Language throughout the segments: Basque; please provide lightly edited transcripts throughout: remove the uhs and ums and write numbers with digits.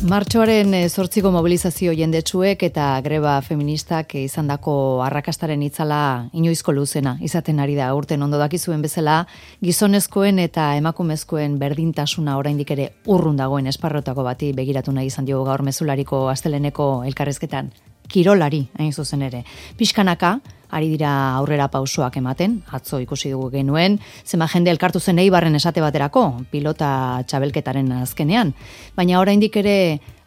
Martxoaren 8ko mobilizazio jendetsuek eta greba feministak izandako arrakastaren itzala inoizko luzena izaten ari da. Urten ondo dakizuen bezala, gizonezkoen eta emakumezkoen berdintasuna oraindik ere urrun dagoen esparrotako bati begiratu nahi izan diogu gaur mezulariko asteleneko elkarrezketan. Kirolari, hain zuzen ere. Pixkanaka, ari dira aurrera pausoak ematen, atzo ikusi dugu genuen, zema jende elkartu zen Eibarren esate baterako, pilota txabelketaren azkenean, baina oraindik ere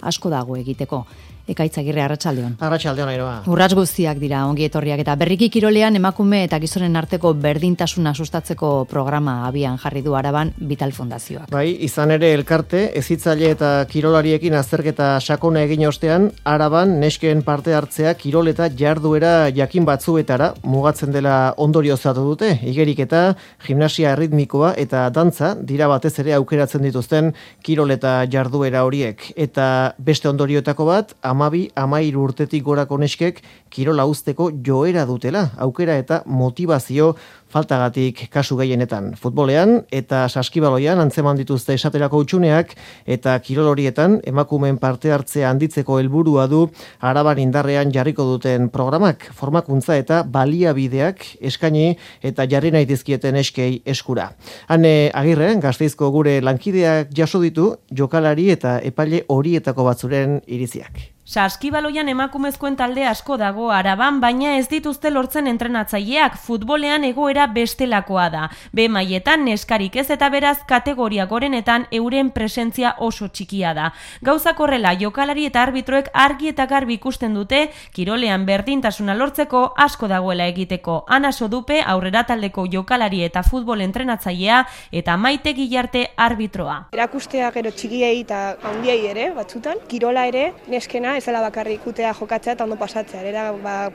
asko dago egiteko. Ekaitz Agirre, arratsaldeon. Arratsaldeon, Airoa. Urrats guztiak dira ongi etorriak eta berriki kirolean emakume eta gizonen arteko berdintasuna sustatzeko programa abian jarri du Araban Vital Fundazioak. Bai, izan ere elkarte, hezitzaile eta kirolariekin azterketa sakona egin ostean, Araban nesken parte hartzea kirol eta jarduera jakin batzuetara mugatzen dela ondoriozatu dute. Igeriketa, gimnasia erritmikoa eta dantza dira batez ere aukeratzen dituzten kirol eta jarduera horiek. Eta beste ondorioetako bat, 12-13 urtetik gorako neskek kirola uzteko joera dutela, aukera eta motivazio faltagatik kasu gehienetan. Futbolean eta saskibaloian antzeman dituzte esaterako hutsuneak eta kirol horietan emakumeen parte hartzea handitzeko helburua du Araban indarrean jarriko duten programak, formakuntza eta baliabideak eskaini eta jarri nahi dizkieten eskei eskura. Hane Agirre, Gasteizko gure lankideak jaso ditu jokalari eta epaile horietako batzuren iriziak. Saskibaloian emakumezkoen talde asko dago Araban, baina ez dituzte lortzen entrenatzaileak. Futbolean egoera bestelakoa da. B mailetan neskarik ez eta beraz kategoria gorenetan euren presentzia oso txikia da. Gauzak horrela, jokalari eta arbitroek argi eta garbi ikusten dute kirolean berdintasuna lortzeko asko dagoela egiteko. Ana Sodupe aurrera taldeko jokalari eta futbol entrenatzailea eta Maite Gillarte arbitroa. Erakustea gero txikiei eta handiei ere, batzutan, kirola ere neskena ez dela bakarrik ikutea jokatzea eta ondo pasatzea, era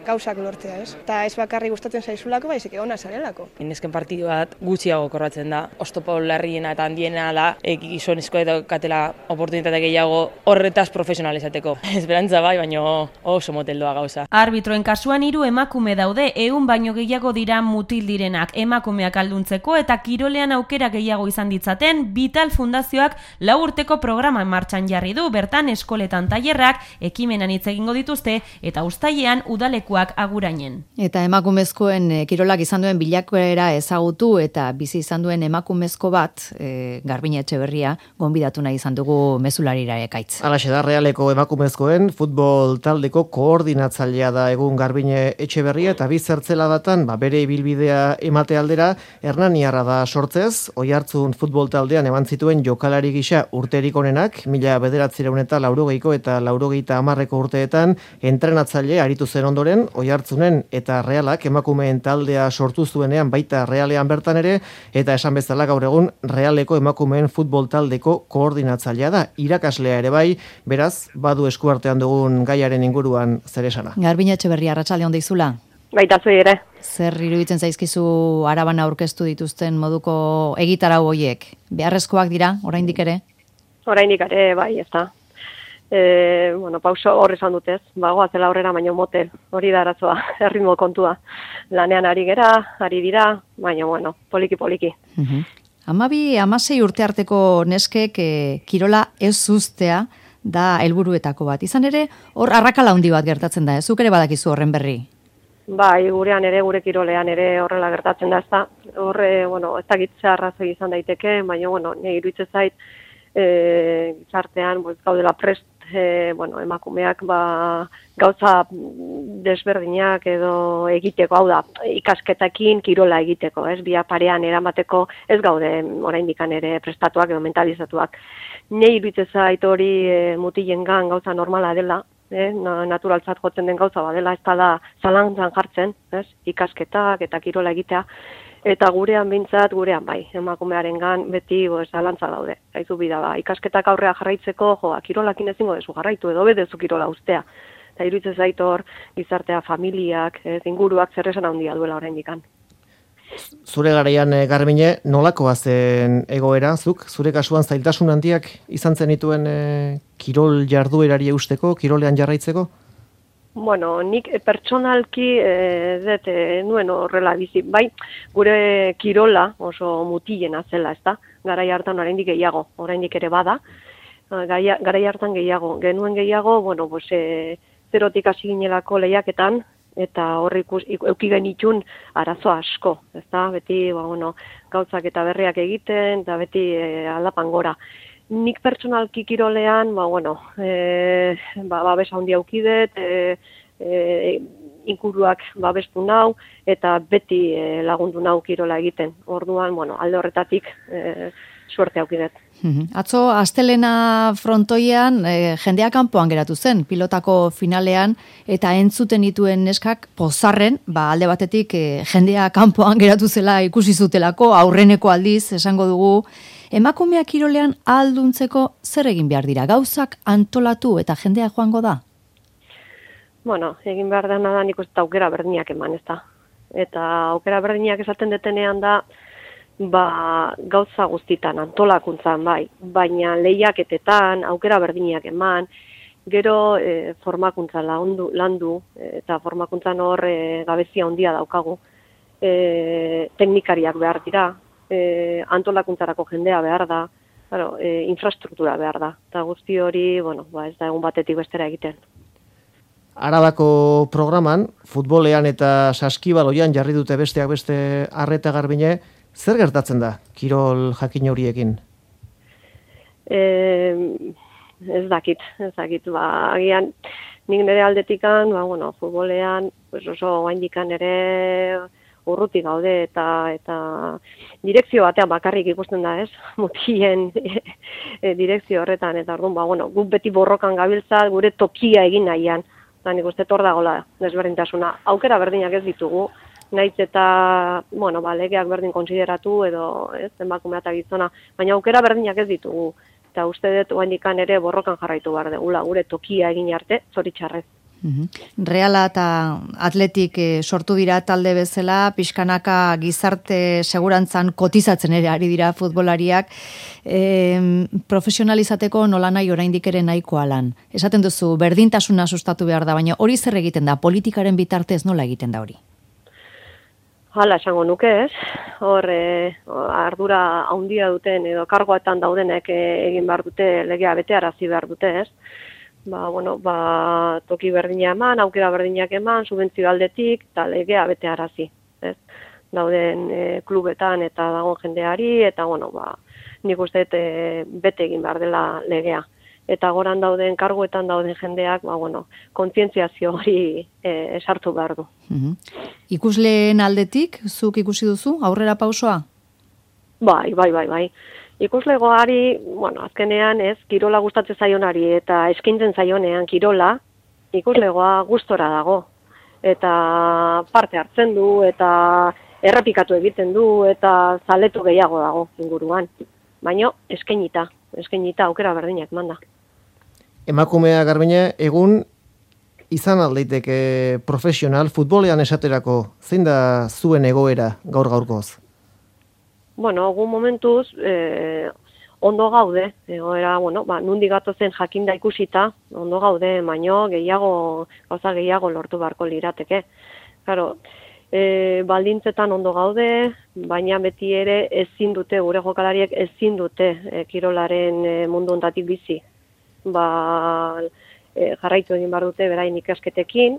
gauzak lortzea, ez? Eta ez bakarrik gustatzen zaizulako, baizik ona zarelako. Nesken partidu bat gutxiago korratzen da. Oztopo larriena eta handiena da, gizonezko eta katela oportunitate gehiago horretaz profesionalizateko. Esperantza bai, baina oso moteldoa gauza. Arbitroen kasuan 3 emakume daude, 100 baino gehiago dira mutil direnak, emakumeak alduntzeko eta kirolean aukera gehiago izan ditzaten, Vital Fundazioak 4 urteko programa martxan jarri du, bertan eskoletan tailerrak, ekimenan hitz egingo dituzte eta uztailean udalekuak agurainen. Eta emakumezkoen kirolak izan duen bilakaera ezagutu eta bizi izan duen emakumezko bat, Garbine Etxeberria, gonbidatu nahi izan dugu mezularira Ekaitz. Halaxe da, Realeko emakumezkoen futbol taldeko koordinatzailea da egun Garbine Etxeberria eta bi zertzeladatan bere ibilbidea emate aldera Hernaniarra da sortzez, Oiartzun futbol taldean eman zituen jokalari gisa urterik onenak, 1980ko eta 90ko urteetan entrenatzaile aritu zen ondoren, Oiartzunen eta Realak emakumeen taldea sortu zuenean baita Realean bertan ere, eta esan bezala gaur egun Realeko emakumeen futbol taldeko koordinatzailea da, irakaslea ere bai, beraz, badu eskuartean dugun gaiaren inguruan zer esana. Garbine Etxeberria, arratsalde on deizula. Baita zuei ere. Zer iruditzen zaizkizu Araban aurkeztu dituzten moduko egitarau hoiek? Beharrezkoak dira, oraindik ere? Oraindik ere, bai, ez da. Pauso horre esan dutez, goazela aurrera baino motel, hori da arazoa, erritmo kontua. Lanean ari dira, baina, poliki-poliki. 12-16 urte arteko neskek kirola ez uztea da helburuetako bat. Izan ere, hor arrakala handi bat gertatzen da, zuk ere badakizu horren berri? Bai, gurean ere, gure kirolean ere horrela gertatzen da, ez da. Horre, ez da gitzea arrazoi izan daiteke, baina, nire iruditzen zait, gizartean, gaudela prest, emakumeak gauza desberdinak edo egiteko, hau da, ikasketakin kirola egiteko, ez, bia parean eramateko ez gaude oraindikan ere prestatuak edo mentalizatuak. Nei iruditzen zait hori mutilengan gauza normala dela, naturaltzat jotzen den gauza badela, ez da zalantzan jartzen, ez, ikasketak eta kirola egitea. Eta gurean bintzat, bai, emakumearengan beti zalantza daude. Haizu bida, ikasketak aurrea jarraitzeko, kirolakin ezingo dezu jarraitu, edo bedezu kirola ustea. Eta iruditzen zait hor, gizartea, familiak, inguruak zer esan handia duela oraindikan. Zure garaian, Garbine, nolakoa zen egoera, zure kasuan zailtasun handiak izan zenituen kirol jarduerari eusteko, kirolean jarraitzeko? Nik pertsonalki nuen horrela bizi. Bai, gure kirola oso mutilena zela, ezta? Garai hartan oraindik gehiago, oraindik ere bada. garai hartan genuen gehiago, bueno, pues, zerotik hasi ginelako lehiaketan, eta horri euki genitun arazo asko, ezta? Beti, bueno, gauzak eta berriak egiten, eta beti aldapan gora. Nik pertsonalki kirolean, bueno, babes handia aukidet, inguruak babestu nau, eta beti lagundu nau kirola egiten. Orduan, bueno, alde horretatik suerte aukidet. Atzo, astelena frontoian, jendea kanpoan geratu zen, pilotako finalean, eta entzuten dituen neskak pozarren, alde batetik jendea kanpoan geratu zela ikusi zutelako, aurreneko aldiz, esango dugu, emakumeak kirolean ahalduntzeko zer egin behar dira, gauzak antolatu eta jendea joango da? Bueno, egin behar dena da nik uste aukera berdinak eman, ez da. Eta aukera berdinak esaten detenean da, gauza guztitan, antolakuntzan bai, baina lehiaketetan, aukera berdinak eman, gero formakuntza landu, eta formakuntzan hor gabezia handia daukagu, teknikariak behar dira, antolakuntzarako jendea behar da, infrastruktura behar da, eta guzti hori, bueno, ez da egun batetik bestera egiten. Arabako programan, futbolean eta saskibaloian jarri dute besteak beste Arreta Garbine, zer gertatzen da kirol jakin horiekin? Ez dakit, agian nik nire aldetikan, bueno, futbolean oso gaindikan ere urruti gaude eta direkzio batean bakarrik ikusten da, ez? Mutien direkzio horretan, eta orduan, bueno, guk beti borrokan gabiltza gure tokia egin nahian. Eta nik uste hor dagoela desberdintasuna. Aukera berdinak ez ditugu, nahiz eta, bueno, legeak berdin konsideratu edo, ez, emakumea eta gizona, baina aukera berdinak ez ditugu. Eta uste dut oendikan ere borrokan jarraitu behar degula, gure tokia egin arte, zoritxarrez. Reala eta Atletik sortu dira talde bezala, pixkanaka gizarte segurantzan kotizatzen ere ari dira futbolariak, profesionalizateko nolanahi oraindik ere nahikoa lan. Esaten duzu, berdintasuna sustatu behar da, baina hori zer egiten da, politikaren bitartez nola egiten da hori? Hala, esango nuke, ez? Hor, ardura handia duten edo kargoetan daudenek egin behar dute, legea betearazi behar dute, ez? Toki berdina eman, aukera berdinak eman, subentzio aldetik, eta legea betearazi, ez? Dauden klubetan eta dagoen jendeari, eta, nik uste bete egin behar dela legea. Eta goran dauden, karguetan dauden jendeak, kontzientziazio hori esartu behar du. Ikusleen aldetik, zuk ikusi duzu, aurrera pausoa? Bai. Ikuslegoari, azkenean ez, kirola gustatzen zaionari eta eskaintzen zaionean kirola, ikuslegoa gustora dago. Eta parte hartzen du, eta errepikatu egiten du, eta zaletu gehiago dago inguruan. Baina eskainita aukera berdinak manda. Emakumea Garbine, egun izan aldeiteke profesional futbolean esaterako, zein da zuen egoera gaur-gaurkoz? Egun momentuz, ondo gaude, egoera, nundi gatozen jakinda ikusita, ondo gaude, baino gauza gehiago lortu beharko lirateke. Claro, baldintzetan ondo gaude, baina beti ere ezin dute, gure jokalariek ezin dute kirolaren mundu ontatik bizi. Jarraitu egin behar dute berain ikasketekin,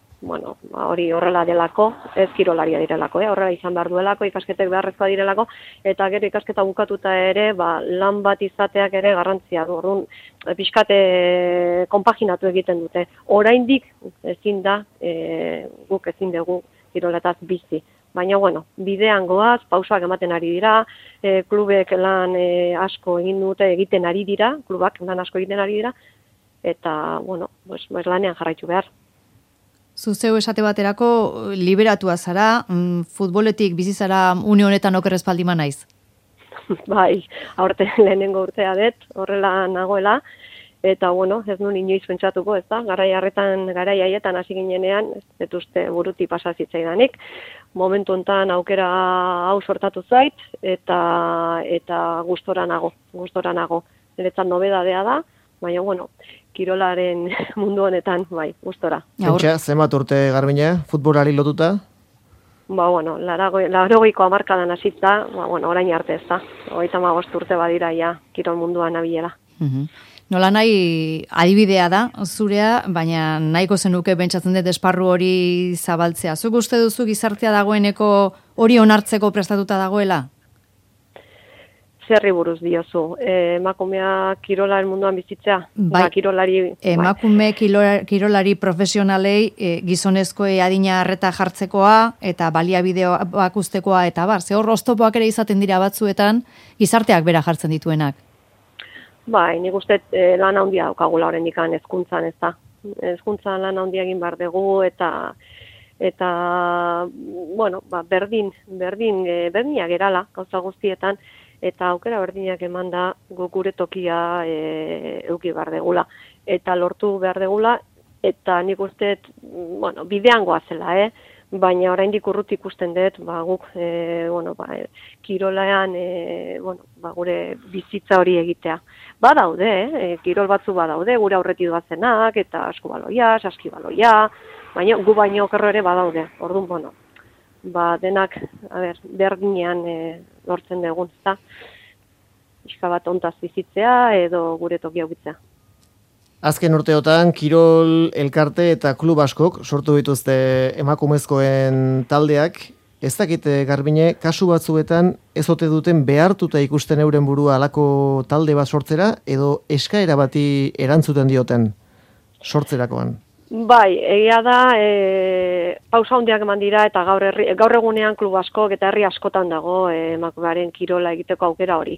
hori horrela delako, ez kirolaria direlako, horrela izan behar duelako, ikasketek beharrezkoa direlako, eta gero ikasketa bukatuta ere, lan bat izateak ere garrantzia du, orduan, pixkate konpaginatu egiten dute. Oraindik ezin da, guk ezin dugu kiroletaz bizi. Baina, bidean goaz, pausoak ematen ari dira, klubek lan asko egiten ari dira, klubak lan asko egiten ari dira, eta, lanean jarraitu behar. Zuzeu esate baterako liberatua zara, futboletik bizi zara une honetan oker espaldima naiz? Bai, aurten lehenengo urtea dut, horrela nagoela, eta, ez nuen inoiz pentsatuko, ez da, garai haietan hasi ginenean, ez uste buruti pasazitzaidanik, momentu honetan aukera hau sortatu zait, eta gustora nago. Niretzat nobedadea da, baina, kirolaren mundu honetan, gustora. Pentsa, zenbat urte Garbine, futbolari lotuta? 80ko hamarkadan hasita, orain arte ez da. 35 urte badira ja kirol munduan nabilela. Nola nahi adibidea da, zurea, baina nahiko zenuke pentsatzen dut esparru hori zabaltzea. Zuk uste duzu gizartea dagoeneko hori onartzeko prestatuta dagoela? Zerri buruz diozu, emakumea kirolaren munduan bizitzea? Bai, kirolari, emakume kirolari profesionalei gizonezkoe adina harreta jartzekoa eta baliabideak ustekoa eta bar, ze hor oztopoak ere izaten dira batzuetan gizarteak bera jartzen dituenak. Bai, nik uste lan handia daukagula oraindik hezkuntzan, ez da. Hezkuntzan lan handia egin behar dugu eta bueno, berdinak gerala gauza guztietan, eta aukera berdinak eman da gure tokia eduki behar degula. Eta lortu behar degula, eta nik uste, bueno, bidean goazela, baina oraindik urrut ikusten dut, guk, kirolean, gure bizitza hori egitea. Badaude, kirol batzu badaude, gure aurretik doazenak, eta askubaloia, saskibaloia, baina gu baino okerro ere badaude. Orduan, denak, berdinean lortzen dugun, ezta? Iska bat ontaz bizitzea edo gure tokia ukitzea. Azken urteotan, kirol elkarte eta klub askok sortu dituzte emakumezkoen taldeak. Ez dakite, Garbine, kasu batzuetan ez ote duten behartuta ikusten euren burua alako talde bat sortzera edo eskaera bati erantzuten dioten sortzerakoan? Bai, egia da, pausa handiak eman dira eta gaur egunean klub askok eta herri askotan dago emakumearen kirola egiteko aukera hori.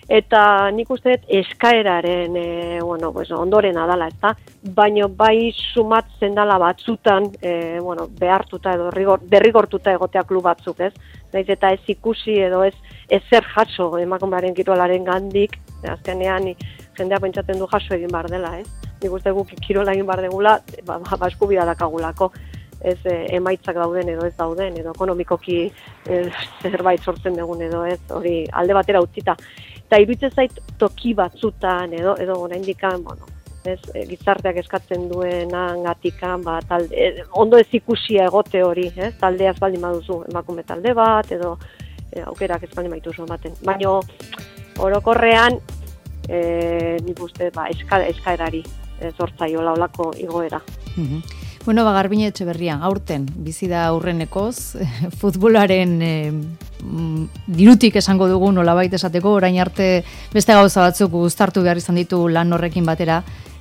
Eta nik uste eskaeraren ondoren adala, ezta? Baina bai sumatzen dala batzutan, behartuta edo derrigortuta egotea klub batzuk, ez? Naiz eta ez ikusi edo ez zer jaso emakumearen kirolaren gandik, azkenean jendea pentsatzen du jaso egin behar dela, ez? Nik uste guk kirola egin behar degula, eskubidea dakagulako. Ez emaitzak dauden edo ez dauden, edo ekonomikoki zerbait sortzen dugun edo ez, hori alde batera utzita. Eta iruditzen zait toki batzutan edo oraindikan, gizarteak eskatzen duenagatikan, ondo ez ikusia egote hori, taldea ez baldin baduzu emakume talde bat, edo aukerak ez baldin baituzu ematen. Baina orokorrean, nik uste eskaerari sortzaiola olako igoera. Bueno, Garbine Etxeberria, aurten, bizi da aurrenekoz, futbolaren dirutik esango dugu nolabait esateko, orain arte beste gauza batzuk uztartu behar izan ditu lan horrekin batera,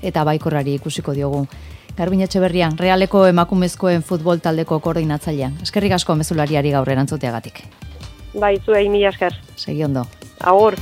eta baikorrari ikusiko diogu. Garbine Etxeberria, Realeko emakumezkoen futbol taldeko koordinatzailea. Eskerrik asko mezulariari gaur erantzuteagatik. Bai, zuei mila esker. Segi ondo. Agur.